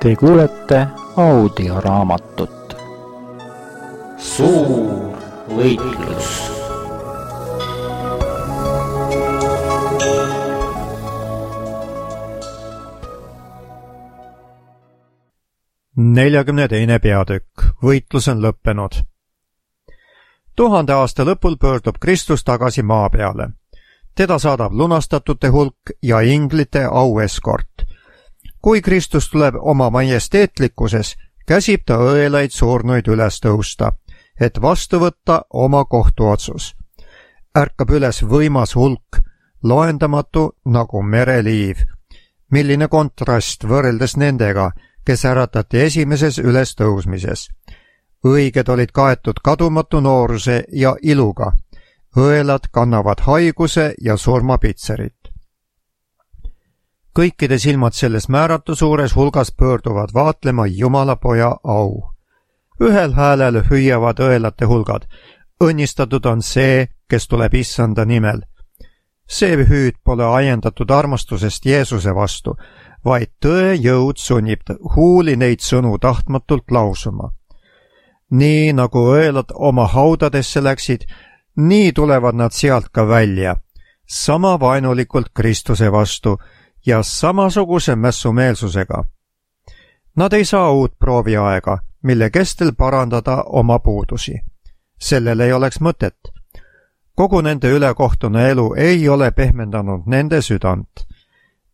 Te kuulete audioraamatut Suur võitlus. Neljagümne peatükk. Võitlus on lõppenud. 1000 aasta lõpul pöördub Kristus tagasi maa peale. Teda saadab lunastatute hulk ja inglite aueskort. Kui Kristus tuleb oma majesteetlikkuses, käsib ta õelaid surnuid üles tõusta, et vastu võtta oma kohtuotsus. Ärkab üles võimas hulk, loendamatu nagu mereliiv. Milline kontrast võrreldes nendega, kes äratati esimeses ülestõusmises. Õiged olid kaetud kadumatu nooruse ja iluga. Õelad kannavad haiguse ja surmapitserit. Kõikide silmad selles määratu suures hulgas pöörduvad vaatlema Jumala poja au. Ühel häälel hüüavad õelate hulgad. Õnnistatud on see, kes tuleb issanda nimel. See hüüd pole ajendatud armastusest Jeesuse vastu, vaid tõe jõud sunnib huuli neid sõnu tahtmatult lausuma. Nii nagu õelad oma haudadesse läksid, nii tulevad nad sealt ka välja, sama vaenulikult Kristuse vastu ja samasuguse mässumeelsusega. Nad ei saa uut prooviaega, mille kestel parandada oma puudusi. Sellel ei oleks mõtet. Kogu nende ülekohtune elu ei ole pehmendanud nende südant.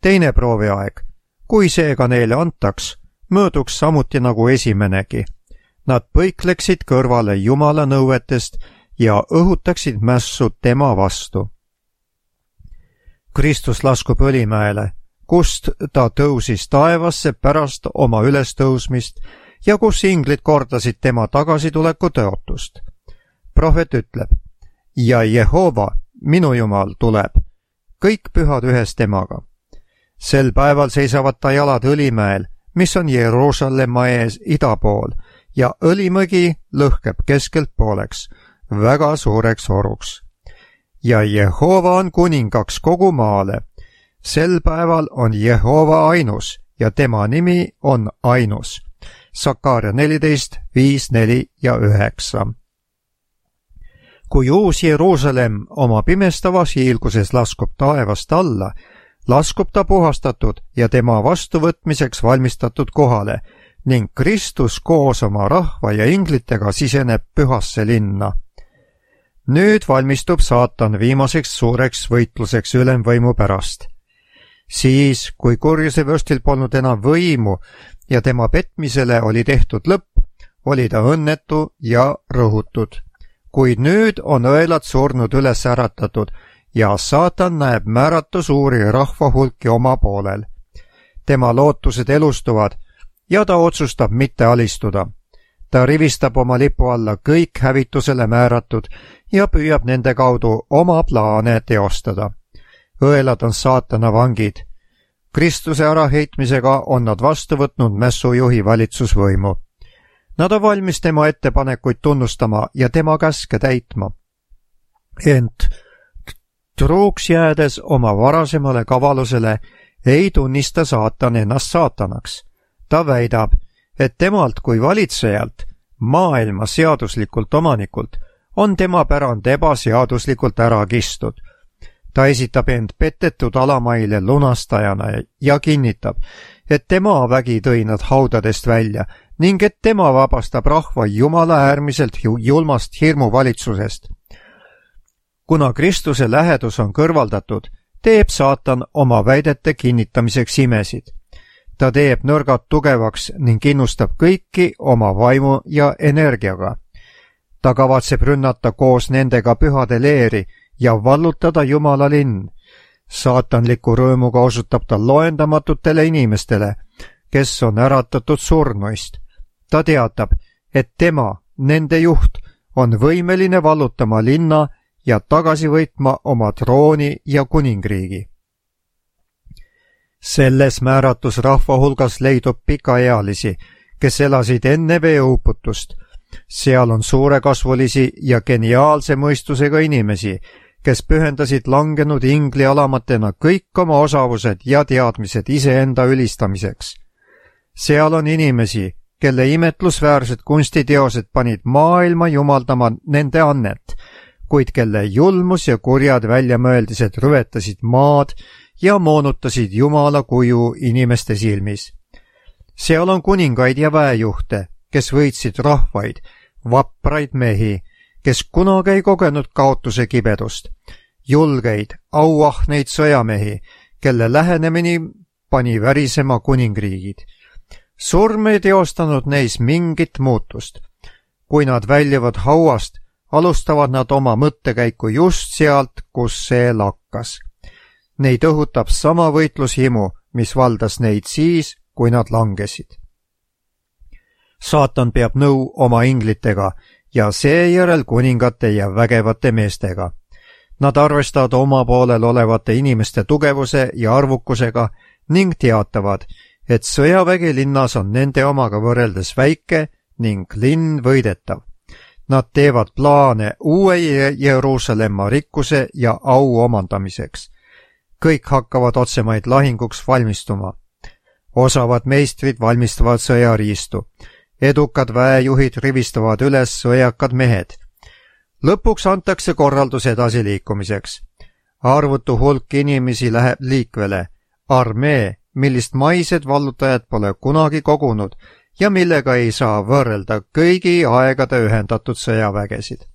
Teine prooviaeg, kui seega neile antaks, mööduks samuti nagu esimenegi. Nad põikleksid kõrvale Jumala nõuetest ja õhutaksid mässu tema vastu. Kristus laskub Õlimäele, kust ta tõusis taevasse pärast oma ülestõusmist ja kus inglid kordasid tema tagasituleku tõotust. Prohvet ütleb, ja Jehova, minu Jumal, tuleb, kõik pühad ühes temaga. Sel päeval seisavad ta jalad Õlimäel, mis on Jeruusalemma ees ida pool, ja Õlimägi lõhkeb keskelt pooleks, väga suureks oruks. Ja Jehova on kuningaks kogu maale. Sel päeval on Jehova ainus ja tema nimi on ainus. Sakaaria 14, 5, 4 ja 9. Kui uus Jeruusalemm oma pimestavas hiilguses laskub taevast alla, laskub ta puhastatud ja tema vastuvõtmiseks valmistatud kohale ning Kristus koos oma rahva ja inglitega siseneb pühasse linna. Nüüd valmistub saatan viimaseks suureks võitluseks ülemvõimu pärast. Siis, kui kurjuse vürstil polnud enam võimu ja tema petmisele oli tehtud lõpp, oli ta õnnetu ja rõhutud. Kuid nüüd on õelad surnud üles äratatud ja saatan näeb määratu suuri rahvahulki oma poolel. Tema lootused elustuvad ja ta otsustab mitte alistuda. Ta rivistab oma lipu alla kõik hävitusele määratud ja püüab nende kaudu oma plaane teostada. Õelad on saatana vangid. Kristuse äraheitmisega on nad vastu võtnud mässujuhi valitsusvõimu. Nad on valmis tema ettepanekuid tunnustama ja tema käske täitma. Ent truuks jäädes oma varasemale kavalusele ei tunnista saatan ennast saatanaks. Ta väidab, et temalt kui valitsejalt, maailma seaduslikult omanikult, on tema pärand ebaseaduslikult ära kistud. Ta esitab end petetud alamaile lunastajana ja kinnitab, et tema vägi tõi nad haudadest välja ning et tema vabastab rahva Jumala äärmiselt julmast hirmuvalitsusest. Kuna Kristuse lähedus on kõrvaldatud, teeb saatan oma väidete kinnitamiseks imesid. Ta teeb nõrgad tugevaks ning innustab kõiki oma vaimu ja energiaga. Ta kavatseb rünnata koos nendega pühade leeri ja vallutada Jumala linn. Saatanliku rõõmuga osutab ta loendamatutele inimestele, kes on äratatud surnuist. Ta teatab, et tema, nende juht, on võimeline vallutama linna ja tagasi võitma oma trooni ja kuningriigi. Selles määratus rahva hulgas leidub pikaealisi, kes elasid enne veeuputust. Seal on suurekasvulisi ja geniaalse mõistusega inimesi, kes pühendasid langenud ingli alamatena kõik oma osavused ja teadmised iseenda ülistamiseks. seal on inimesi, kelle imetlusväärsed kunstiteosed panid maailma jumaldama nende annet, kuid kelle julmus ja kurjad väljamõeldised rüvetasid maad ja moonutasid Jumala kuju inimeste silmis. seal on kuningaid ja väejuhte, kes võitsid rahvaid, vapraid mehi, kes kunagi ei kogenud kaotuse kibedust, julgeid, auahneid sõjamehi, kelle lähenemine pani värisema kuningriigid. surm ei teostanud neis mingit muutust. kui nad väljuvad hauast, alustavad nad oma mõttekäiku just sealt, kus see lakkas. Neid õhutab sama võitlushimu, mis valdas neid siis, kui nad langesid. saatan peab nõu oma inglitega ja seejärel kuningate ja vägevate meestega. Nad arvestavad oma poolel olevate inimeste tugevuse ja arvukusega ning teatavad, et sõjavägi linnas on nende omaga võrreldes väike ning linn võidetav. Nad teevad plaane uue Jeruusalemma rikkuse ja au omandamiseks. kõik hakkavad otsemaid lahinguks valmistuma. osavad meistrid valmistavad sõjariistu. edukad väejuhid rivistavad üles sõjakad mehed. lõpuks antakse korraldus edasiliikumiseks. arvutu hulk inimesi läheb liikvele. armee, millist maised vallutajad pole kunagi kogunud ja millega ei saa võrrelda kõigi aegade ühendatud sõjavägesid.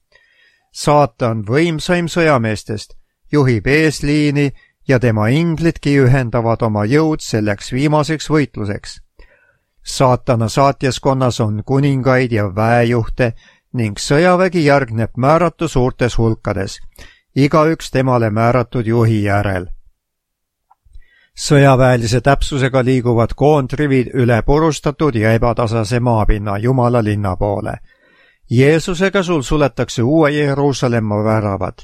saatan, võimsaim sõjameestest, juhib eesliini ja tema inglidki ühendavad oma jõud selleks viimaseks võitluseks. saatana saatjaskonnas on kuningaid ja väejuhte ning sõjavägi järgneb määratu suurtes hulkades, igaüks temale määratud juhi järel. sõjaväelise täpsusega liiguvad koondrivid üle purustatud ja ebatasase maapinna Jumala linna poole. Jeesuse käsul suletakse uue Jeruusalemma väravad.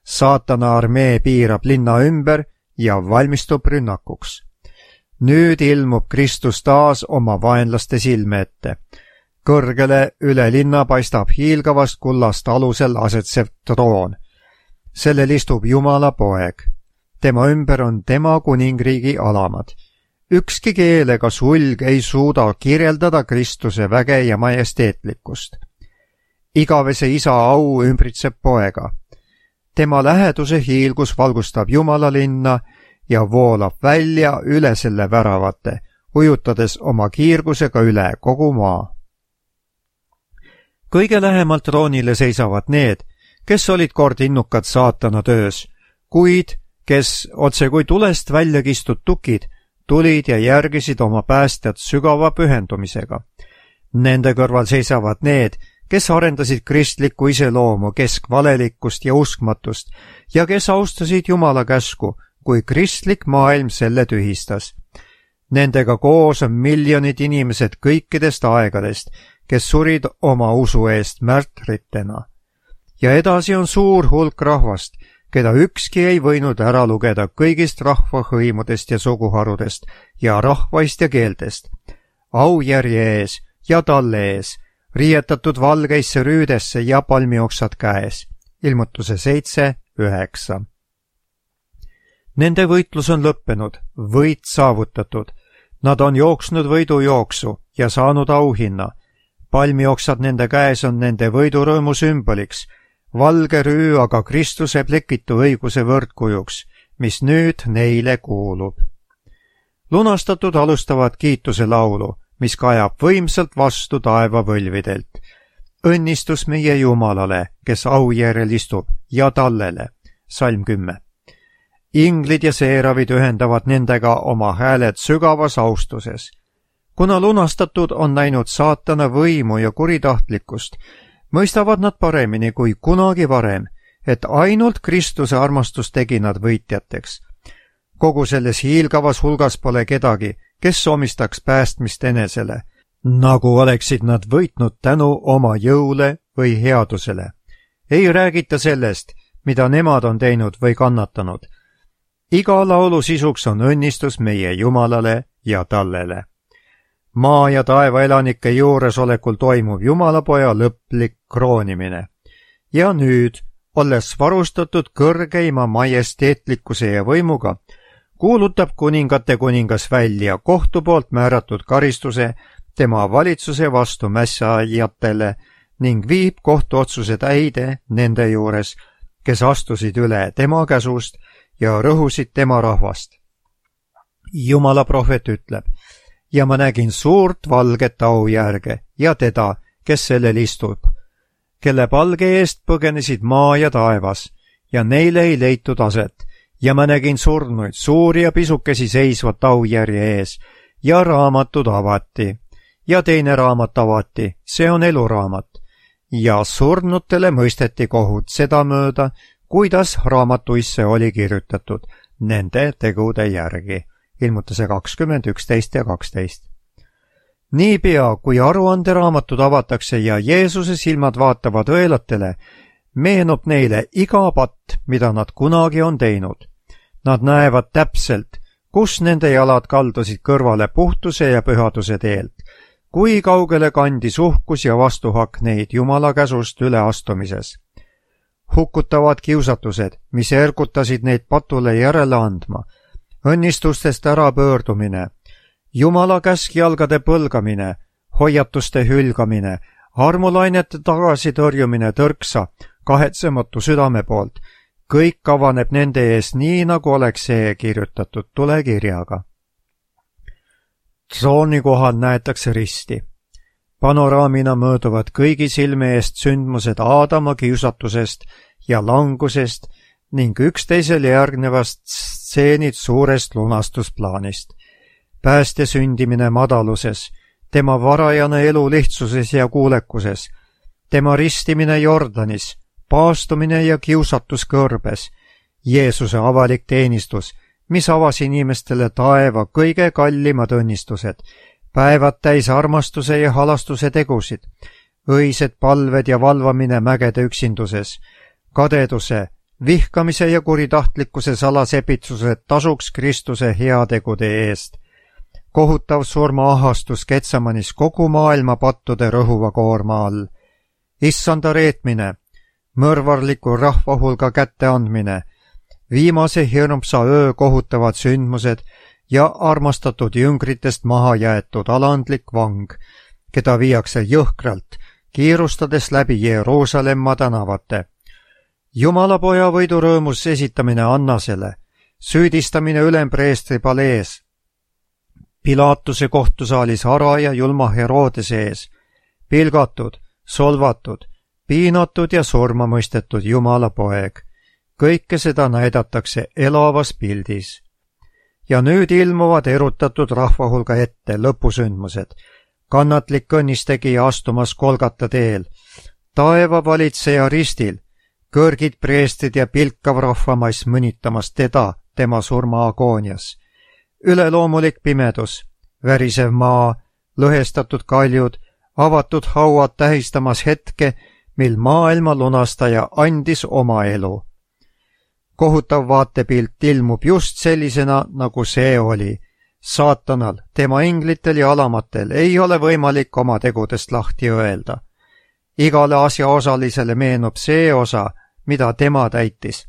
saatana armee piirab linna ümber ja valmistub rünnakuks. nüüd ilmub Kristus taas oma vaenlaste silme ette. kõrgele üle linna paistab hiilgavast kullast alusel asetsev troon. sellel istub Jumala poeg. tema ümber on tema kuningriigi alamad. ükski keel ega sulg ei suuda kirjeldada Kristuse väge ja majesteetlikkust. igavese isa au ümbritseb poega. tema läheduse hiilgus valgustab Jumala linna ja voolab välja üle selle väravate, ujutades oma kiirgusega üle kogu maa. kõige lähemalt troonile seisavad need, kes olid kord innukad saatana töös, kuid kes otse kui tulest välja kistud tukid tulid ja järgisid oma päästjat sügava pühendumisega. Nende kõrval seisavad need, kes arendasid kristlikku iseloomu, keskvalelikkust ja uskmatust ja kes austasid Jumala käsku, kui kristlik maailm selle tühistas. Nendega koos on miljonid inimesed kõikidest aegadest, kes surid oma usu eest märtritena. ja edasi on suur hulk rahvast, keda ükski ei võinud ära lugeda kõigist rahvahõimudest ja suguharudest ja rahvaist ja keeltest. aujärje ees ja talle ees, riietatud valgeisse rüüdesse ja palmioksad käes. ilmutuse 7:9. Nende võitlus on lõppenud, võit saavutatud. Nad on jooksnud võidujooksu ja saanud auhinna. palmioksad nende käes on nende võidurõõmu sümboliks, valge rüü aga Kristuse plekitu õiguse võrdkujuks, mis nüüd neile kuulub. lunastatud alustavad kiituse laulu, mis kajab võimsalt vastu taeva võlvidelt. õnnistus meie Jumalale, kes aujärjel istub, ja tallele. salm 10. inglid ja seeravid ühendavad nendega oma hääled sügavas austuses. kuna lunastatud on näinud saatana võimu ja kuritahtlikkust, mõistavad nad paremini kui kunagi varem, et ainult Kristuse armastus tegi nad võitjateks. kogu selles hiilgavas hulgas pole kedagi, kes omistaks päästmist enesele, nagu oleksid nad võitnud tänu oma jõule või headusele. ei räägita sellest, mida nemad on teinud või kannatanud. iga laulu sisuks on õnnistus meie Jumalale ja tallele. maa ja taeva elanike juuresolekul toimub Jumalapoja lõplik kroonimine. ja nüüd, olles varustatud kõrgeima majesteetlikkuse ja võimuga, kuulutab kuningate kuningas välja kohtu poolt määratud karistuse tema valitsuse vastu mässaajatele ning viib kohtuotsuse täide nende juures, kes astusid üle tema käsust ja rõhusid tema rahvast. Jumala prohvet ütleb, ja ma nägin suurt valget aujärge ja teda, kes sellel istub, kelle palge eest põgenesid maa ja taevas ja neile ei leitud aset, ja ma nägin surnuid, suuri ja pisukesi seisvat aujärje ees ja raamatud avati ja teine raamat avati, see on eluraamat, ja surnutele mõisteti kohut sedamööda, kuidas raamatuisse oli kirjutatud nende tegude järgi. Ilmutuse 20, 11 ja 12. Niipea, kui aruanderaamatud avatakse ja Jeesuse silmad vaatavad õelatele, meenub neile iga patt, mida nad kunagi on teinud. Nad näevad täpselt, kus nende jalad kaldusid kõrvale puhtuse ja pühaduse teelt, kui kaugele kandis uhkus ja vastuhakk neid Jumala käsust üleastumises. Hukkutavad kiusatused, mis ergutasid neid patule järele andma, õnnistustest ärapöördumine, Jumala käskjalgade põlgamine, hoiatuste hülgamine, armulainete tagasitõrjumine tõrksa, kahetsematu südame poolt, kõik avaneb nende ees nii, nagu oleks see kirjutatud tulekirjaga. Trooni kohal näetakse risti. Panoraamina mööduvad kõigi silme eest sündmused Aadama kiusatusest ja langusest ning üksteisele järgnevast stseenid suurest lunastusplaanist. Päästja sündimine madaluses, tema varajane elu lihtsuses ja kuulekuses, tema ristimine Jordanis, paastumine ja kiusatus kõrbes, Jeesuse avalik teenistus, mis avas inimestele taeva kõige kallimad õnnistused, päevad täis armastuse ja halastuse tegusid, õised palved ja valvamine mägede üksinduses, kadeduse, vihkamise ja kuritahtlikkuse salasepitsused tasuks Kristuse heategude eest, kohutav surmaahastus Getsemanis kogu maailma pattude rõhuva koorma all, issanda reetmine, mõrvarliku rahvahulga kätteandmine, viimase hirmsa öö kohutavad sündmused ja armastatud jüngritest maha jäetud alandlik vang, keda viiakse jõhkralt, kiirustades läbi Jeruusalemma tänavate. Jumalapoja võidurõõmus esitamine Annasele, süüdistamine ülempreestri palees, Pilatuse kohtusaalis ara ja julma Herodese ees, pilgatud, solvatud, piinatud ja surma mõistetud Jumala poeg. Kõike seda näidatakse elavas pildis. Ja nüüd ilmuvad erutatud rahvahulga ette lõpusündmused, kannatlik õnnistegija astumas Golgata teel, taeva valitseja ristil, kõrgid preestrid ja pilkav rahvamass mõnitamas teda tema surma agoonias. Üleloomulik pimedus, värisev maa, lõhestatud kaljud, avatud hauad tähistamas hetke, mil maailma lunastaja andis oma elu. Kohutav vaatepilt ilmub just sellisena, nagu see oli. Saatanal, tema inglitel ja alamatel ei ole võimalik oma tegudest lahti öelda. Igale asjaosalisele meenub see osa, mida tema täitis.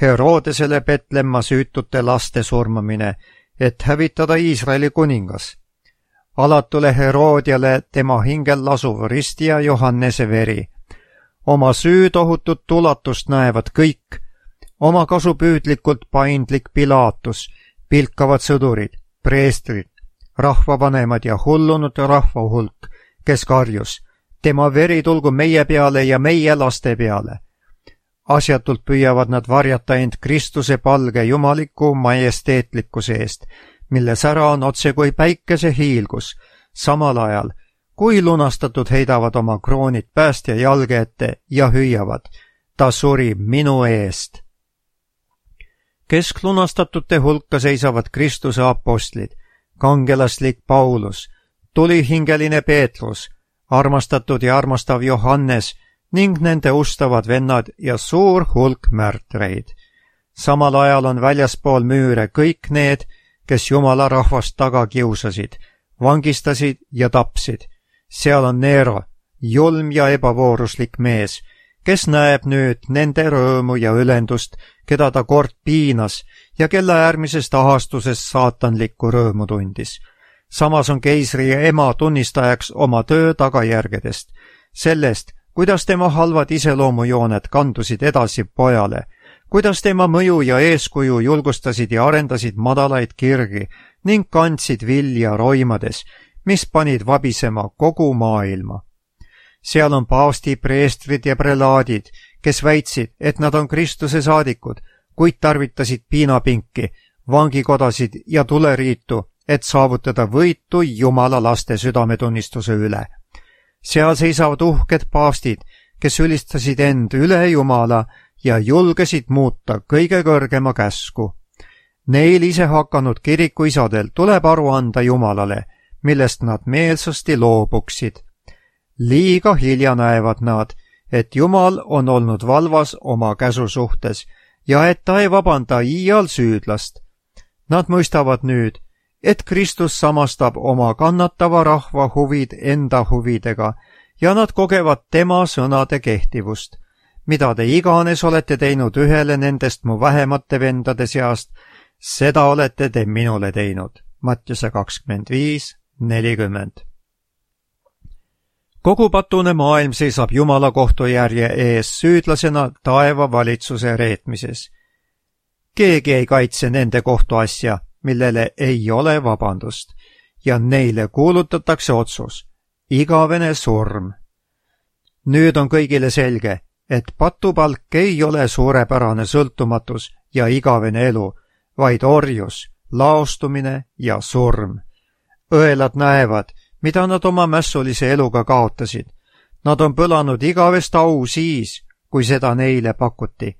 Herodesele Petlemma süütute laste surmamine, et hävitada Iisraeli kuningas. Alatule Herodiale tema hingel lasuv risti ja Johannese veri. Oma süütohutut ulatust näevad kõik, oma kasupüüdlikult paindlik Pilatus, pilkavad sõdurid, preestrid, rahvavanemad ja hullunud rahvahulk, kes karjus, tema veri tulgu meie peale ja meie laste peale. Asjatult püüavad nad varjata end Kristuse palge jumaliku majesteetlikkuse eest, mille sära on otse kui päikese hiilgus, samal ajal, kui lunastatud heidavad oma kroonid päästja jalge ette ja hüüavad, ta suri minu eest. Kesklunastatute hulka seisavad Kristuse apostlid, kangelaslik Paulus, tulihingeline Peetrus, armastatud ja armastav Johannes ning nende ustavad vennad ja suur hulk märtreid. Samal ajal on väljaspool müüre kõik need, kes Jumala rahvast taga kiusasid, vangistasid ja tapsid. Seal on Nero, julm ja ebavooruslik mees, kes näeb nüüd nende rõõmu ja ülendust, keda ta kord piinas ja kelle äärmisest ahastusest saatanlikku rõõmu tundis. Samas on keisri ema tunnistajaks oma töö tagajärgedest, sellest, kuidas tema halvad iseloomujooned kandusid edasi pojale, kuidas tema mõju ja eeskuju julgustasid ja arendasid madalaid kirgi ning kandsid vilja roimades, mis panid vabisema kogu maailma. Seal on paavsti, preestrid ja prelaadid, kes väitsid, et nad on Kristuse saadikud, kuid tarvitasid piinapinki, vangikodasid ja tuleriitu, et saavutada võitu Jumala laste südametunnistuse üle. Seal seisavad uhked paavstid, kes ülistasid end üle Jumala ja julgesid muuta kõige kõrgema käsku. Neil ise hakanud kirikuisadel tuleb aru anda Jumalale, millest nad meelsasti loobuksid. Liiga hilja näevad nad, et Jumal on olnud valvas oma käsu suhtes ja et ta ei vabanda iial süüdlast. Nad mõistavad nüüd, et Kristus samastab oma kannatava rahva huvid enda huvidega ja nad kogevad tema sõnade kehtivust. Mida te iganes olete teinud ühele nendest mu vähemate vendade seast, seda olete te minule teinud. Mattiuse 25:40. Kogu patune maailm seisab Jumala kohtujärje ees süüdlasena taeva valitsuse reetmises. Keegi ei kaitse nende kohtuasja, millele ei ole vabandust, ja neile kuulutatakse otsus, igavene surm. Nüüd on kõigile selge, et patupalk ei ole suurepärane sõltumatus ja igavene elu, vaid orjus, laostumine ja surm. Õelad näevad, mida nad oma mässulise eluga kaotasid. Nad on põlanud igavest au siis, kui seda neile pakuti.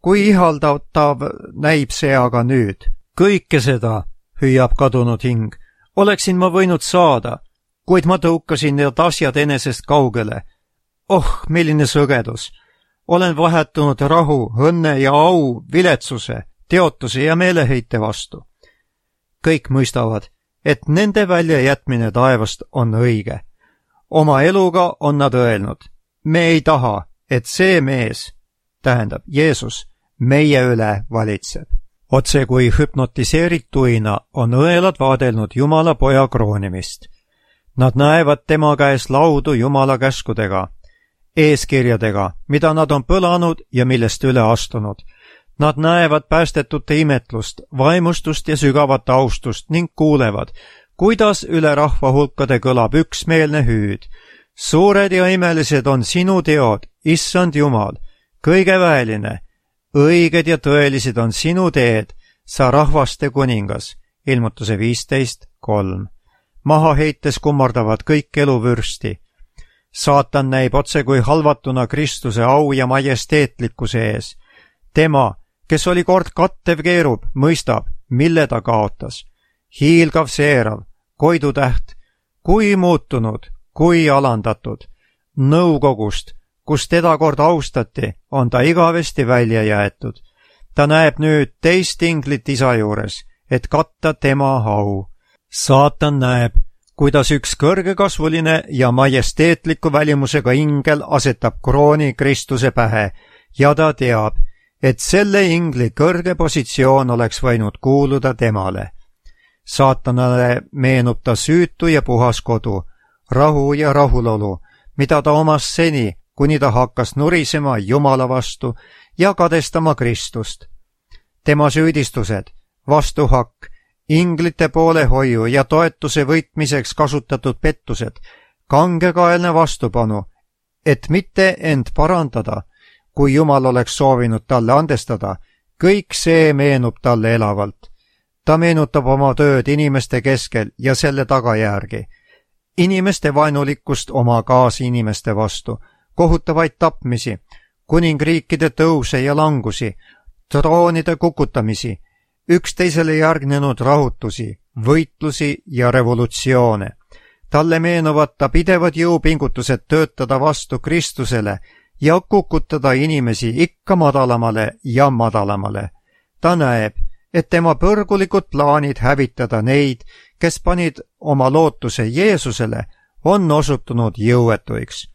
Kui ihaldatav näib see aga nüüd. Kõike seda, hüüab kadunud hing, oleksin ma võinud saada, kuid ma tõukasin need asjad enesest kaugele. Oh, milline sõgedus! Olen vahetunud rahu, õnne ja au, viletsuse, teotuse ja meeleheite vastu. Kõik mõistavad, et nende väljajätmine taevast on õige. Oma eluga on nad öelnud, me ei taha, et see mees, tähendab Jeesus, meie üle valitseb. Otse kui hüpnotiseerituina on õelad vaadelnud Jumala poja kroonimist. Nad näevad tema käes laudu Jumala käskudega, eeskirjadega, mida nad on põlanud ja millest üle astunud. Nad näevad päästetute imetlust, vaimustust ja sügavat austust ning kuulevad, kuidas üle rahva hulkade kõlab üksmeelne hüüd. Suured ja imelised on sinu teod, issand Jumal, kõige väeline. Õiged ja tõelised on sinu teed, sa rahvaste kuningas. Ilmutuse 15:3. Maha heites kummardavad kõik eluvürsti. Saatan näib otse kui halvatuna Kristuse au ja majesteetlikkuse ees. Tema, kes oli kord kattev keerub, mõistab, mille ta kaotas. Hiilgav seerav, koidutäht, kui muutunud, kui alandatud. Nõukogust, kus teda kord austati, on ta igavesti välja jäetud. Ta näeb nüüd teist inglit isa juures, et katta tema au. Saatan näeb, kuidas üks kõrgekasvuline ja majesteetliku välimusega ingel asetab krooni Kristuse pähe ja ta teab, et selle ingli kõrge positsioon oleks võinud kuuluda temale. Saatanale meenub ta süütu ja puhas kodu, rahu ja rahulolu, mida ta omas seni, kuni ta hakkas nurisema Jumala vastu ja kadestama Kristust. Tema süüdistused, vastuhakk, inglite poolehoiu ja toetuse võitmiseks kasutatud pettused, kangekaelne vastupanu, et mitte end parandada, kui Jumal oleks soovinud talle andestada, kõik see meenub talle elavalt. Ta meenutab oma tööd inimeste keskel ja selle tagajärgi. Inimeste vaenulikkust oma kaasinimeste vastu, kohutavaid tapmisi, kuningriikide tõuse ja langusi, troonide kukutamisi, üksteisele järgnenud rahutusi, võitlusi ja revolutsioone. Talle meenuvad ta pidevad jõupingutused töötada vastu Kristusele ja kukutada inimesi ikka madalamale ja madalamale. Ta näeb, et tema põrgulikud plaanid hävitada neid, kes panid oma lootuse Jeesusele, on osutunud jõuetuiks.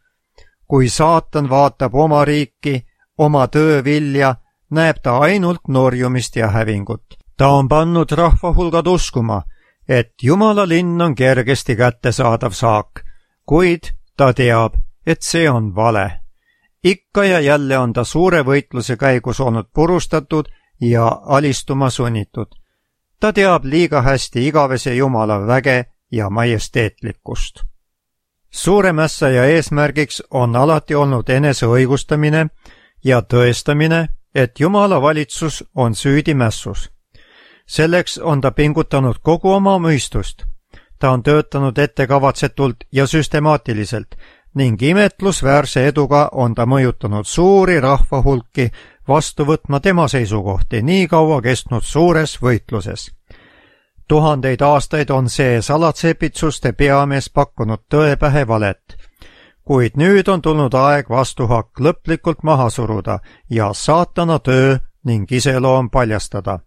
Kui saatan vaatab oma riiki, oma töö vilja, näeb ta ainult norjumist ja hävingut. ta on pannud rahvahulgad uskuma, et Jumala linn on kergesti kättesaadav saak, kuid ta teab, et see on vale. Ikka ja jälle on ta suure võitluse käigus olnud purustatud ja alistuma sunnitud. Ta teab liiga hästi igavese Jumala väge ja majesteetlikkust. Suure mässaja eesmärgiks on alati olnud enese õigustamine ja tõestamine, et Jumala valitsus on süüdi mässus. Selleks on ta pingutanud kogu oma mõistust. Ta on töötanud ettekavatsetult ja süstemaatiliselt ning imetlusväärse eduga on ta mõjutanud suuri rahvahulki vastu võtma tema seisukohti nii kaua kestnud suures võitluses. 1000 aastaid on see salatsepitsuste peamees pakkunud tõe pähe valet, kuid nüüd on tulnud aeg vastuhakk lõplikult maha suruda ja saatana töö ning iseloom paljastada.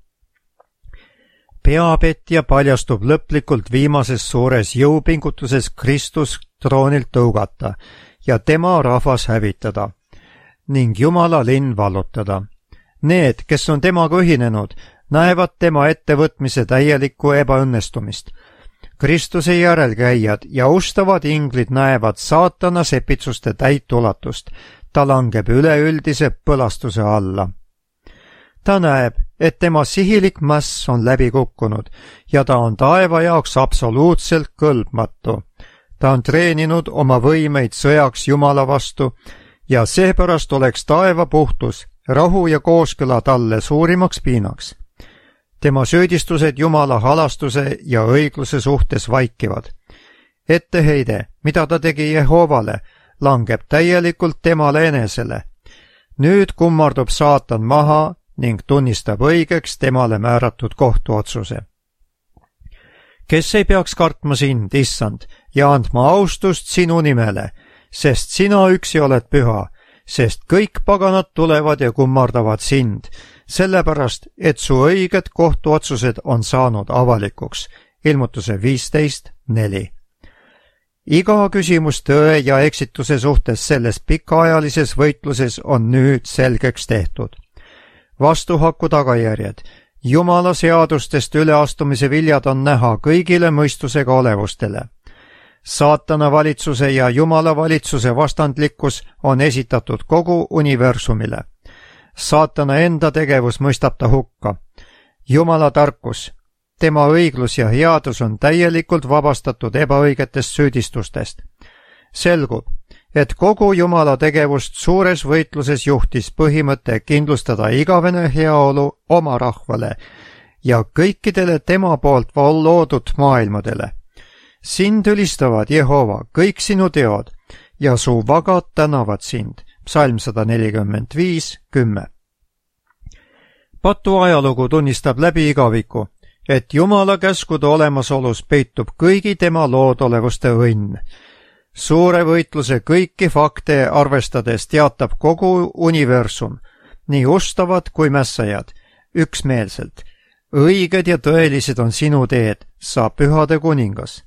Peapetja paljastub lõplikult viimases suures jõupingutuses Kristus troonilt tõugata ja tema rahvas hävitada ning Jumala linn vallutada. Need, kes on temaga ühinenud, näevad tema ettevõtmise täielikku ebaõnnestumist. Kristuse järelkäijad ja ustavad inglid näevad saatana sepitsuste täit ulatust. Ta langeb üleüldise põlastuse alla. Ta näeb, et tema sihilik mäss on läbi kukkunud ja ta on taeva jaoks absoluutselt kõlbmatu. Ta on treeninud oma võimeid sõjaks Jumala vastu ja seepärast oleks taeva puhtus, rahu ja kooskõla talle suurimaks piinaks. Tema süüdistused Jumala halastuse ja õigluse suhtes vaikivad. Etteheide, mida ta tegi Jehovale, langeb täielikult temale enesele. Nüüd kummardub saatan maha ning tunnistab õigeks temale määratud kohtuotsuse. Kes ei peaks kartma sind, issand, ja andma austust sinu nimele, sest sina üksi oled püha, sest kõik paganad tulevad ja kummardavad sind, sellepärast, et su õiged kohtuotsused on saanud avalikuks. Ilmutuse 15:4. Iga küsimus tõe ja eksituse suhtes selles pikaajalises võitluses on nüüd selgeks tehtud. Vastuhaku tagajärjed, Jumala seadustest üleastumise viljad on näha kõigile mõistusega olevustele. Saatana valitsuse ja Jumala valitsuse vastandlikkus on esitatud kogu universumile. Saatana enda tegevus mõistab ta hukka. Jumala tarkus, tema õiglus ja headus on täielikult vabastatud ebaõigetest süüdistustest. Selgub, et kogu Jumala tegevust suures võitluses juhtis põhimõte kindlustada igavene heaolu oma rahvale ja kõikidele tema poolt loodud maailmadele. Sind ülistavad, Jehova, kõik sinu teod ja su vagad tänavad sind. Psalm 145:10. Patu ajalugu tunnistab läbi igaviku, et Jumala käskude olemasolus peitub kõigi tema loodolevuste õnn. Suure võitluse kõiki fakte arvestades teatab kogu universum, nii ustavad kui mässajad, üksmeelselt. Õiged ja tõelised on sinu teed, sa pühade kuningas.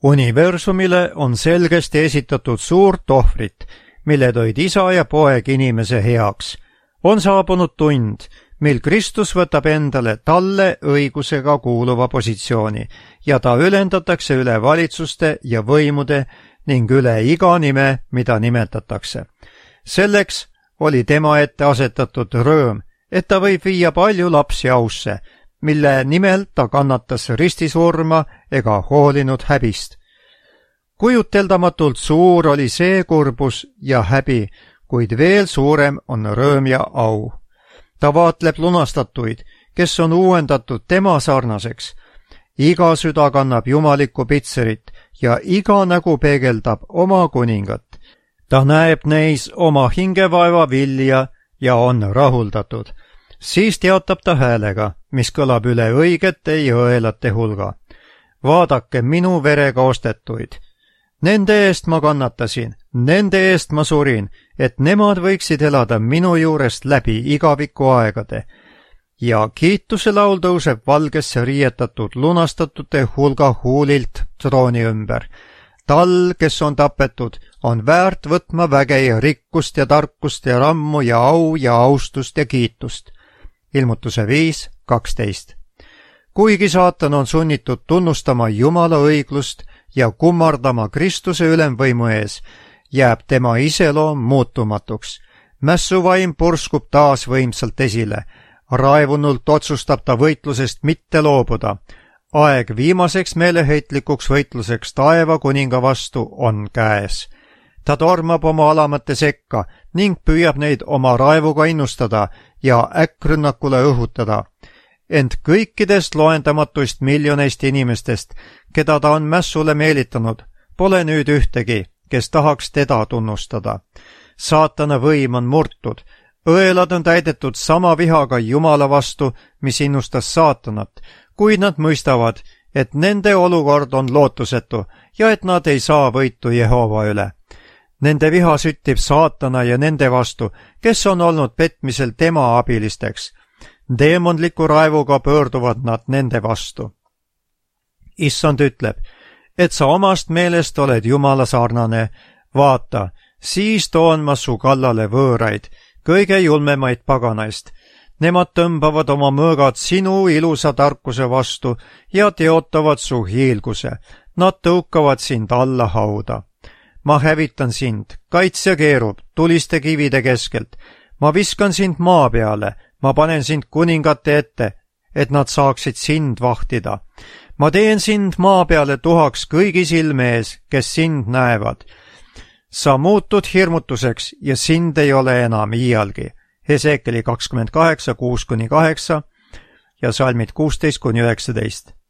Universumile on selgesti esitatud suurt ohvrit, mille tõid isa ja poeg inimese heaks. On saabunud tund, mil Kristus võtab endale talle õigusega kuuluva positsiooni ja ta ülendatakse üle valitsuste ja võimude ning üle iga nime, mida nimetatakse. Selleks oli tema ette asetatud rõõm, et ta võib viia palju lapsi ausse, mille nimel ta kannatas ristisurma ega hoolinud häbist. Kujuteldamatult suur oli see kurbus ja häbi, kuid veel suurem on rõõm ja au. Ta vaatleb lunastatuid, kes on uuendatud tema sarnaseks. Iga süda kannab jumalikku pitserit ja iga nägu peegeldab oma kuningat. Ta näeb neis oma hingevaeva vilja ja on rahuldatud. Siis teatab ta häälega, mis kõlab üle õigete ja õelate hulga. Vaadake minu verega ostetuid. Nende eest ma kannatasin, nende eest ma surin, et nemad võiksid elada minu juurest läbi igaviku aegade. Ja kiituse laul tõuseb valgesse riietatud lunastatute hulga huulilt trooni ümber. Tal, kes on tapetud, on väärt võtma väge ja rikkust ja tarkust ja rammu ja au ja austust ja kiitust. Ilmutuse 5:12. kuigi saatan on sunnitud tunnustama Jumala õiglust ja kummardama Kristuse ülemvõimu ees, jääb tema iseloom muutumatuks. Mässuvaim purskub taas võimsalt esile. Raevunult otsustab ta võitlusest mitte loobuda. Aeg viimaseks meeleheitlikuks võitluseks taeva kuninga vastu on käes. Ta tormab oma alamate sekka ning püüab neid oma raevuga innustada ja äkkrünnakule õhutada. Ent kõikidest loendamatuist miljoneist inimestest, keda ta on mässule meelitanud, pole nüüd ühtegi, kes tahaks teda tunnustada. Saatana võim on murtud. Õelad on täidetud sama vihaga Jumala vastu, mis innustas saatanat, kuid nad mõistavad, et nende olukord on lootusetu ja et nad ei saa võitu Jehova üle. Nende viha süttib saatana ja nende vastu, kes on olnud petmisel tema abilisteks. Deemondliku raevuga pöörduvad nad nende vastu. Issand ütleb, et sa omast meelest oled Jumala sarnane. Vaata, siis toon ma su kallale võõraid, kõige julmemaid paganaist. Nemad tõmbavad oma mõõgad sinu ilusa tarkuse vastu ja teotavad su hiilguse. Nad tõukavad sind alla hauda. Ma hävitan sind, kaitsja keerub tuliste kivide keskelt. Ma viskan sind maa peale, ma panen sind kuningate ette, et nad saaksid sind vahtida. Ma teen sind maa peale tuhaks kõigi silme ees, kes sind näevad. Sa muutud hirmutuseks ja sind ei ole enam iialgi. Hesekeli 28, 6-8 ja salmid 16-19.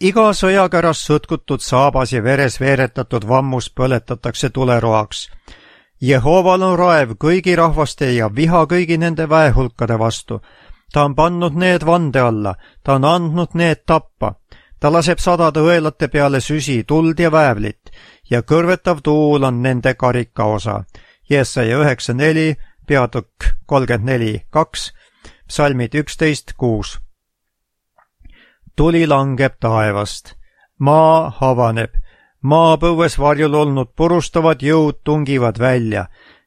Iga sõjakäras sõtkutud saabas ja veres veeretatud vammus põletatakse tuleroaks. Jehoval on raev kõigi rahvaste ja viha kõigi nende väehulkade vastu. Ta on pannud need vande alla, ta on andnud need tappa. Ta laseb sadade õelate peale süsi, tuld ja väävlit ja kõrvetav tuul on nende karika osa. Jesaja 9.4, peatükk 34.2, psalmid 11.6. Tuli langeb taevast. Maa havaneb. Maapõues varjul olnud purustavad jõud tungivad välja.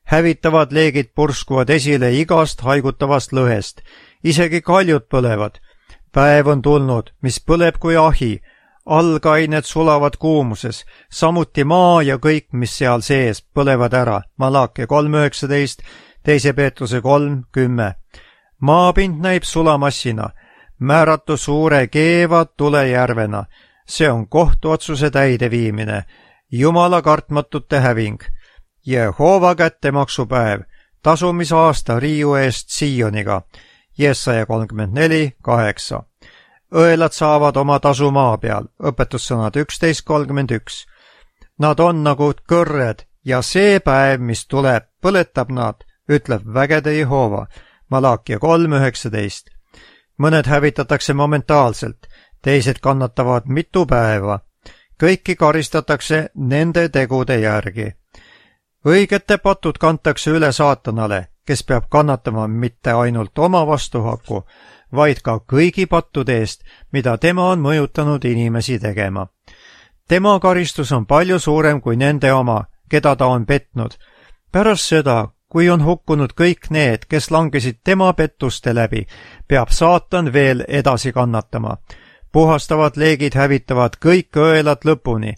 Hävitavad leegid purskuvad esile igast haigutavast lõhest. Isegi kaljud põlevad. Päev on tulnud, mis põleb kui ahi. Algained sulavad kuumuses. Samuti maa ja kõik, mis seal sees, põlevad ära. Malakia 3.19, 2 Peetruse 3.10. Maapind näib sulamassina. Määratu suure keeva tulejärvena. See on kohtuotsuse täideviimine. Jumala kartmatute häving. Jehova kättemaksupäev. Tasumisaasta riiu eest Sioniga. Jesaja 34.8. Õelad saavad oma tasu maa peal. Õpetussõnad 11.31. Nad on nagu kõrred ja see päev, mis tuleb, põletab nad, ütleb vägede Jehova. Malakia 3.19. Mõned hävitatakse momentaalselt, teised kannatavad mitu päeva. Kõiki karistatakse nende tegude järgi. Õigete patud kantakse üle saatanale, kes peab kannatama mitte ainult oma vastuhaku, vaid ka kõigi pattude eest, mida tema on mõjutanud inimesi tegema. Tema karistus on palju suurem kui nende oma, keda ta on petnud. Pärast seda, kui on hukkunud kõik need, kes langesid tema pettuste läbi, peab saatan veel edasi kannatama. Puhastavad leegid hävitavad kõik õelad lõpuni,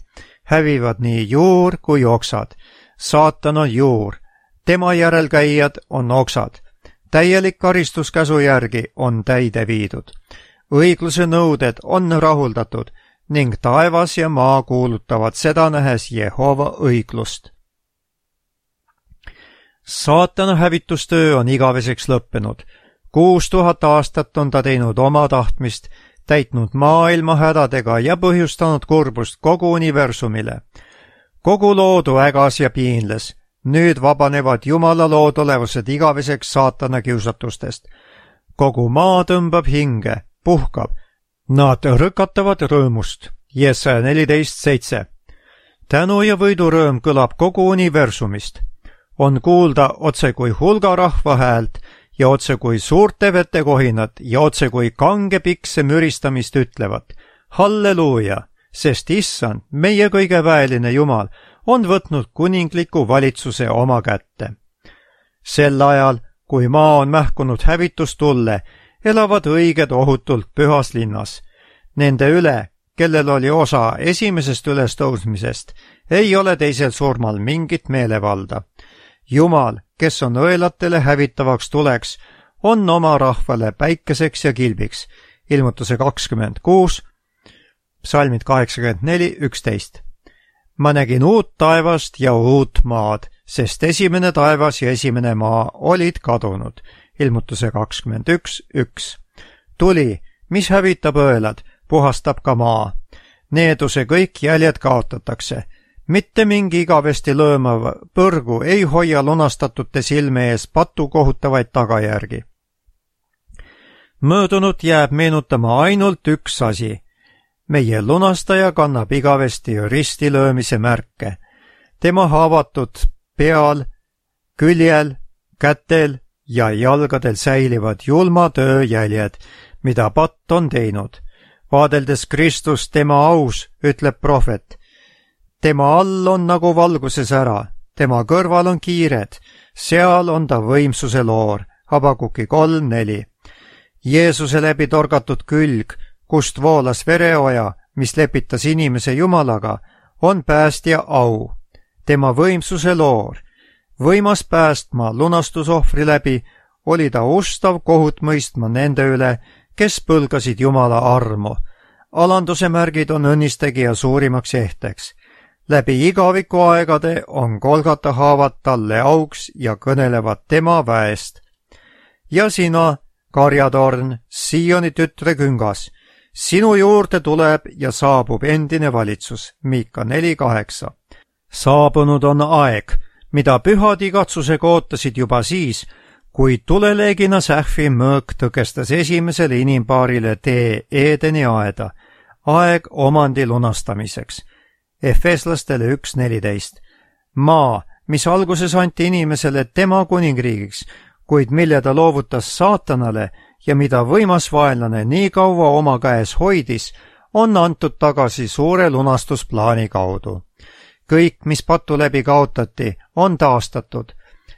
hävivad nii juur kui oksad. Saatan on juur, tema järelkäijad on oksad. Täielik karistuskäsu järgi on täide viidud. Õigluse nõuded on rahuldatud ning taevas ja maa kuulutavad seda nähes Jehova õiglust. Saatana hävitustöö on igaveseks lõppenud. 6000 aastat on ta teinud oma tahtmist, täitnud maailma hädadega ja põhjustanud kurbust kogu universumile. Kogu loodu ägas ja piinles. Nüüd vabanevad Jumala lood olevused igaveseks saatana kiusatustest. Kogu maa tõmbab hinge, puhkab. Nad rõkatavad rõõmust. Jesaja 14.7. Tänu ja võidurõõm kõlab kogu universumist. On kuulda otse kui hulga rahva häält ja otse kui suurte vetekohinat ja otse kui kange pikse müristamist ütlevat. Halleluuja, sest issand, meie kõige väeline Jumal, on võtnud kuningliku valitsuse oma kätte. Sel ajal, kui maa on mähkunud hävitustulle, elavad õiged ohutult pühas linnas. Nende üle, kellel oli osa esimesest ülestõusmisest, ei ole teisel surmal mingit meelevalda. Jumal, kes on õelatele hävitavaks tuleks, on oma rahvale päikeseks ja kilbiks. Ilmutuse 26, psalmid 84-11. Ma nägin uut taevast ja uut maad, sest esimene taevas ja esimene maa olid kadunud. Ilmutuse 21:1. Tuli, mis hävitab õelad, puhastab ka maa. Needuse kõik jäljed kaotatakse. Mitte mingi igavesti lõõmav põrgu ei hoia lunastatute silme ees patu kohutavaid tagajärgi. Möödunut jääb meenutama ainult üks asi. Meie lunastaja kannab igavesti ristilöömise märke. Tema haavatud peal, küljel, kätel ja jalgadel säilivad julma töö jäljed, mida patt on teinud. Vaadeldes Kristust tema aus, ütleb prohvet. Tema all on nagu valguses ära, tema kõrval on kiired, seal on ta võimsuse loor. Habakuki 3:4. Jeesuse läbi torgatud külg, kust voolas vereoja, mis lepitas inimese Jumalaga, on päästja au. Tema võimsuse loor. Võimas päästma lunastusohvri läbi oli ta ustav kohut mõistma nende üle, kes põlgasid Jumala armu. Alanduse märgid on õnnistegija suurimaks ehteks. Läbi igaviku aegade on Golgata haavad talle auks ja kõnelevad tema väest. Ja sina, karjatorn, Sioni tütre küngas, sinu juurde tuleb ja saabub endine valitsus. Miika 4:8. Saabunud on aeg, mida pühad igatsusega ootasid juba siis, kui tuleleegina sähvi mõõk tõkestas esimesele inimpaarile tee Eedeni aeda, aeg omandi lunastamiseks. Efeslastele 1:14. Maa, mis alguses anti inimesele tema kuningriigiks, kuid mille ta loovutas saatanale ja mida võimas vaenlane nii kaua oma käes hoidis, on antud tagasi suure lunastusplaani kaudu. Kõik, mis patu läbi kaotati, on taastatud,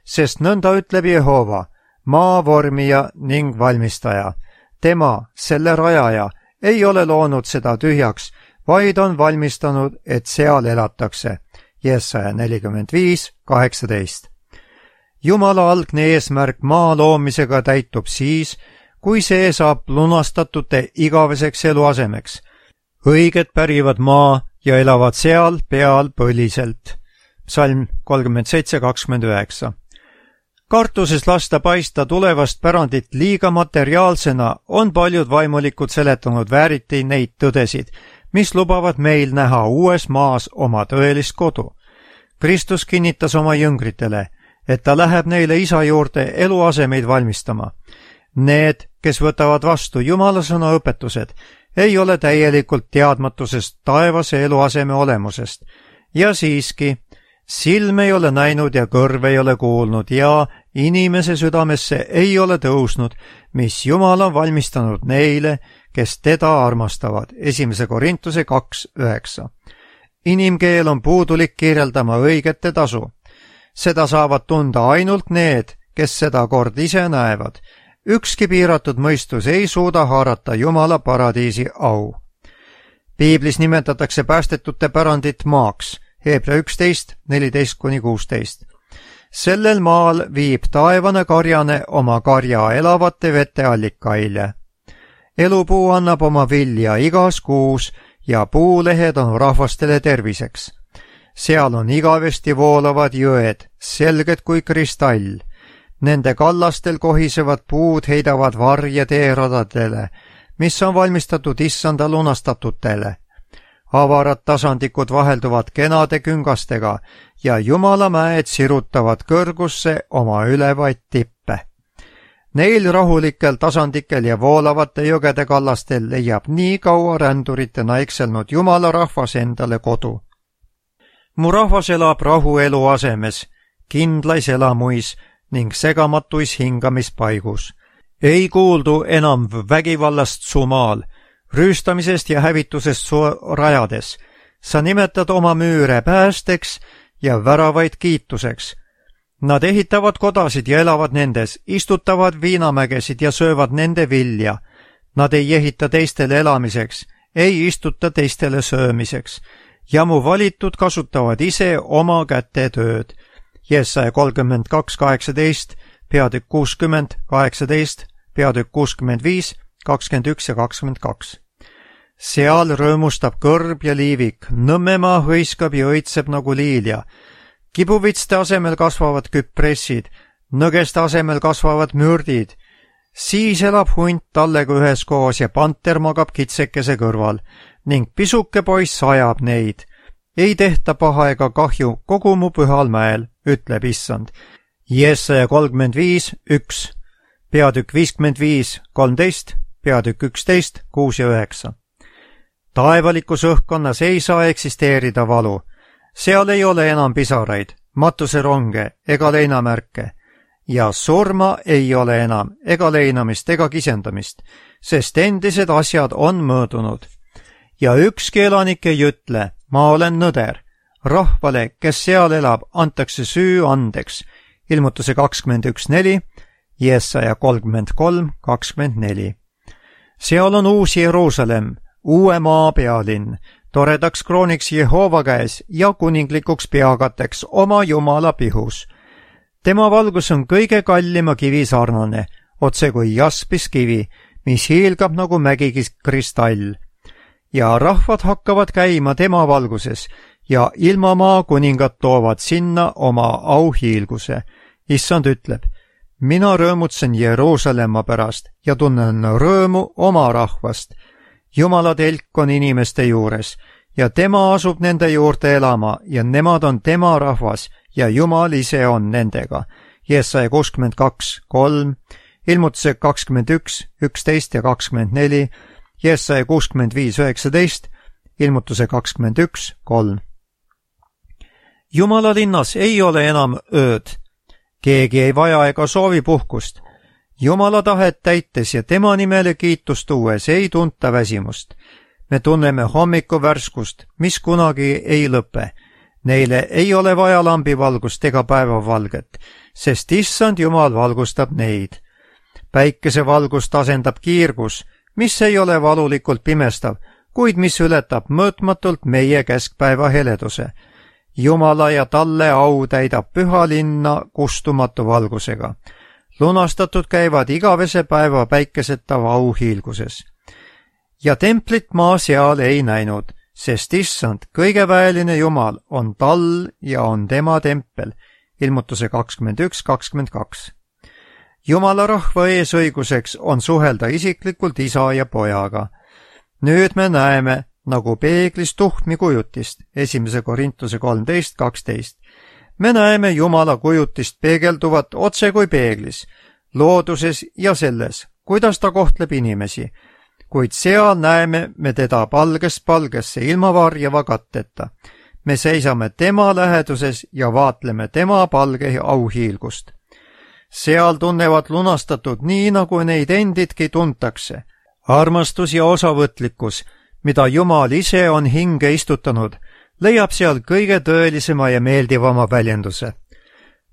sest nõnda ütleb Jehova, maa vormija ning valmistaja. Tema, selle rajaja, ei ole loonud seda tühjaks, vaid on valmistanud, et seal elatakse. Jesaja 45:18. Jumala algne eesmärk maa loomisega täitub siis, kui see saab lunastatute igaveseks eluasemeks. Õiged pärivad maa ja elavad seal peal põliselt. Psalm 37:29. Kartuses lasta paista tulevast pärandit liiga materiaalsena on paljud vaimulikud seletanud vääriti neid tõdesid, mis lubavad meil näha uues maas oma tõelist kodu. Kristus kinnitas oma jüngritele, et ta läheb neile isa juurde eluasemeid valmistama. Need, kes võtavad vastu Jumala sõna õpetused, ei ole täielikult teadmatusest taevase eluaseme olemusest. Ja siiski, silm ei ole näinud ja kõrv ei ole kuulnud ja inimese südamesse ei ole tõusnud, mis Jumal on valmistanud neile, kes teda armastavad. 1. Korintuse 2:9. Inimkeel on puudulik kirjeldama õigete tasu. Seda saavad tunda ainult need, kes seda kord ise näevad. Ükski piiratud mõistus ei suuda haarata Jumala paradiisi au. Piiblis nimetatakse päästetute pärandit maaks, Hebra 11:14-16. Sellel maal viib taevane karjane oma karja elavate vete allikaile. Elupuu annab oma vilja igas kuus ja puulehed on rahvastele terviseks. Seal on igavesti voolavad jõed, selged kui kristall. Nende kallastel kohisevad puud heidavad varje teeradadele, mis on valmistatud issanda lunastatutele. Avarad tasandikud vahelduvad kenade küngastega ja Jumala mäed sirutavad kõrgusse oma ülevaid tippe. Neil rahulikel tasandikel ja voolavate jõgede kallastel leiab nii kaua ränduritena ekselnud Jumala rahvas endale kodu. Mu rahvas elab rahu eluasemes, kindlais elamuis ning segamatuis hingamispaigus. Ei kuuldu enam vägivallast su maal, rüüstamisest ja hävitusest su rajades. Sa nimetad oma müüre päästeks ja väravaid kiituseks. Nad ehitavad kodasid ja elavad nendes, istutavad viinamägesid ja söövad nende vilja. Nad ei ehita teistele elamiseks, ei istuta teistele söömiseks ja mu valitud kasutavad ise oma käte tööd. Jesaja 32:18, peatükk 60, 18, peatükk 65, 21 ja 22. Seal rõõmustab kõrb ja liivik, Nõmmemaa hõiskab ja õitseb nagu liilja. Kibuvitste asemel kasvavad küpressid, nõgeste asemel kasvavad mürdid. Siis elab hunt tallega üheskoos ja panter magab kitsekese kõrval ning pisuke poiss ajab neid. Ei tehta paha ega kahju kogu mu pühal mäel, ütleb issand. Jesaja 35:1, peatükk 55:13, peatükk 11, 6 ja 9. Taevalikus õhkkonnas ei saa eksisteerida valu. Seal ei ole enam pisaraid, matuseronge ega leinamärke. Ja surma ei ole enam ega leinamist ega kisendamist, sest endised asjad on möödunud. Ja ükski elanik ei ütle, ma olen nõder. Rahvale, kes seal elab, antakse süü andeks. Ilmutuse 21:4, Jesaja 33:24. Seal on uus Jeruusalemm, uue maa pealinn, toredaks krooniks Jehova käes ja kuninglikuks peakateks oma Jumala pihus. Tema valgus on kõige kallima kivi sarnane, otse kui jaspiskivi, mis hiilgab nagu mägikis kristall. Ja rahvad hakkavad käima tema valguses ja ilmamaa kuningad toovad sinna oma auhiilguse. Issand ütleb, mina rõõmutsen Jeruusalemma pärast ja tunnen rõõmu oma rahvast. Jumala telk on inimeste juures ja tema asub nende juurde elama ja nemad on tema rahvas ja Jumal ise on nendega. Jesaja 62:3, ilmutuse 21:11 ja 24, Jesaja 65:19, ilmutuse 21:3. Jumala linnas ei ole enam ööd. Keegi ei vaja ega soovi puhkust. Jumala tahet täites ja tema nimele kiitust tuues ei tunta väsimust. Me tunneme hommikuvärskust, mis kunagi ei lõpe. Neile ei ole vaja lambivalgust ega päevavalget, sest issand Jumal valgustab neid. Päikesevalgust asendab kiirgus, mis ei ole valulikult pimestav, kuid mis ületab mõõtmatult meie keskpäeva heleduse. Jumala ja talle au täidab püha linna kustumatu valgusega. Lunastatud käivad igavese päeva päikeseta auhiilguses. Ja templit maa seal ei näinud, sest issand, kõigeväeline Jumal, on tal ja on tema tempel. Ilmutuse 21:22. Jumala rahva eesõiguseks on suhelda isiklikult isa ja pojaga. Nüüd me näeme, nagu peeglis tuhmi kujutist, 1. Korintuse 13:12. Me näeme Jumala kujutist peegelduvat otse kui peeglis, looduses ja selles, kuidas ta kohtleb inimesi, kuid seal näeme me teda palgest palgesse ilma varjava katteta. Me seisame tema läheduses ja vaatleme tema palge auhiilgust. Seal tunnevad lunastatud nii, nagu neid endidki tuntakse. Armastus ja osavõtlikkus, mida Jumal ise on hinge istutanud, leiab seal kõige tõelisema ja meeldivama väljenduse.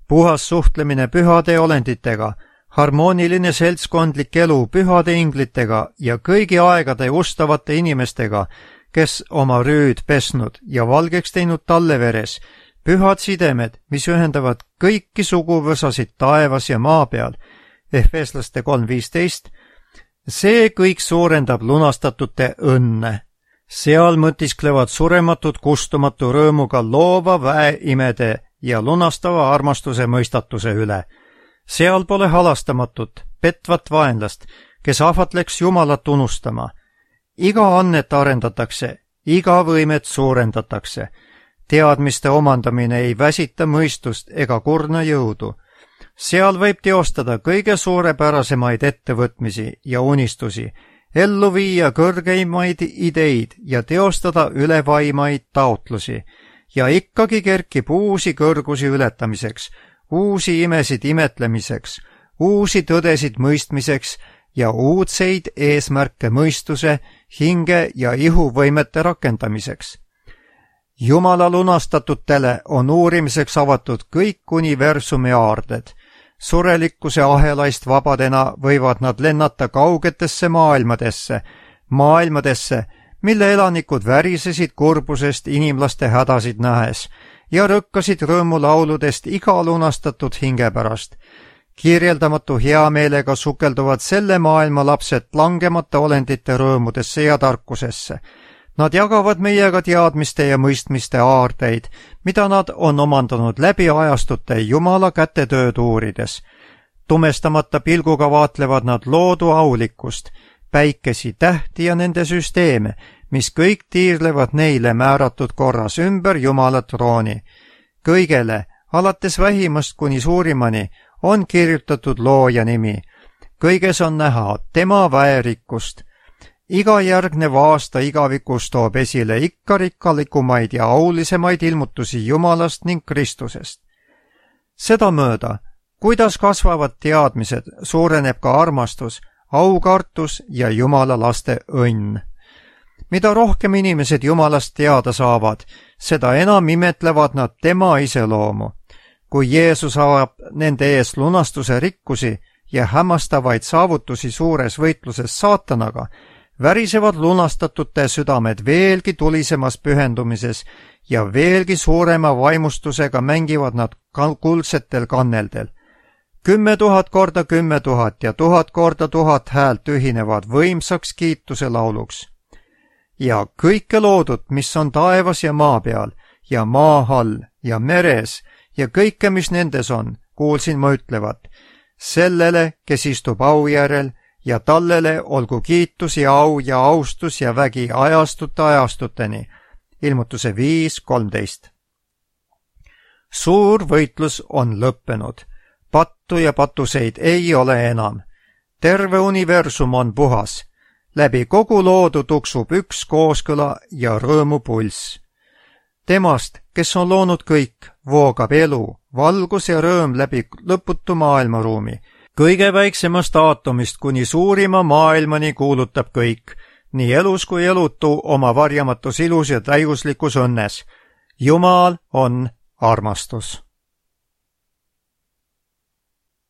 Puhas suhtlemine pühade olenditega, harmooniline seltskondlik elu pühade inglitega ja kõigi aegade ustavate inimestega, kes oma rüüd pesnud ja valgeks teinud talle veres, pühad sidemed, mis ühendavad kõiki suguvõsasid taevas ja maa peal, Efeslaste 3:15, see kõik suurendab lunastatute õnne. Seal mõtisklevad surematud kustumatu rõõmuga loova väeimede ja lunastava armastuse mõistatuse üle. Seal pole halastamatut, petvat vaenlast, kes ahvatleks Jumalat unustama. Iga annet arendatakse, iga võimet suurendatakse. Teadmiste omandamine ei väsita mõistust ega kurna jõudu. Seal võib teostada kõige suurepärasemaid ettevõtmisi ja unistusi, ellu viia kõrgeimaid ideid ja teostada ülevaimaid taotlusi. Ja ikkagi kerkib uusi kõrgusi ületamiseks, uusi imesid imetlemiseks, uusi tõdesid mõistmiseks ja uudseid eesmärke mõistuse, hinge ja ihuvõimete rakendamiseks. Jumala lunastatutele on uurimiseks avatud kõik universumi aarded. Surelikkuse ahelaist vabadena võivad nad lennata kaugetesse maailmadesse, mille elanikud värisesid kurbusest inimlaste hädasid nähes ja rõkkasid rõõmulauludest iga lunastatud hinge pärast. Kirjeldamatu heameelega sukelduvad selle maailma lapsed langemata olendite rõõmudesse ja tarkusesse. Nad jagavad meiega teadmiste ja mõistmiste aardeid, mida nad on omandanud läbi ajastute Jumala kätetööd uurides. Tumestamata pilguga vaatlevad nad loodu aulikkust, päikesi, tähti ja nende süsteeme, mis kõik tiirlevad neile määratud korras ümber Jumala trooni. Kõigele, alates vähimast kuni suurimani, on kirjutatud looja nimi. Kõiges on näha tema väerikkust. Iga järgnev aasta igavikus toob esile ikka rikkalikumaid ja aulisemaid ilmutusi Jumalast ning Kristusest. Sedamööda, kuidas kasvavad teadmised, suureneb ka armastus, aukartus ja Jumala laste õnn. Mida rohkem inimesed Jumalast teada saavad, seda enam imetlevad nad tema iseloomu. Kui Jeesus avab nende ees lunastuse rikkusi ja hämmastavaid saavutusi suures võitluses saatanaga, värisevad lunastatute südamed veelgi tulisemas pühendumises ja veelgi suurema vaimustusega mängivad nad kuldsetel kanneldel. 10 000 korda 10 000 ja 1000 korda 1000 häält ühinevad võimsaks kiituse lauluks. Ja kõike loodut, mis on taevas ja maa peal ja maa all ja meres ja kõike, mis nendes on, kuulsin ma ütlevat, sellele, kes istub au järel, ja tallele olgu kiitus ja au ja austus ja vägi ajastute ajastuteni. Ilmutuse 5:13. Suur võitlus on lõppenud. Pattu ja patuseid ei ole enam. Terve universum on puhas. Läbi kogu loodu tuksub üks kooskõla ja rõõmupulss. Temast, kes on loonud kõik, voogab elu, valgus ja rõõm läbi lõputu maailmaruumi. Kõige väiksemast aatomist kuni suurima maailmani kuulutab kõik, nii elus kui elutu oma varjamatus ilus ja täiuslikus õnnes. Jumal on armastus.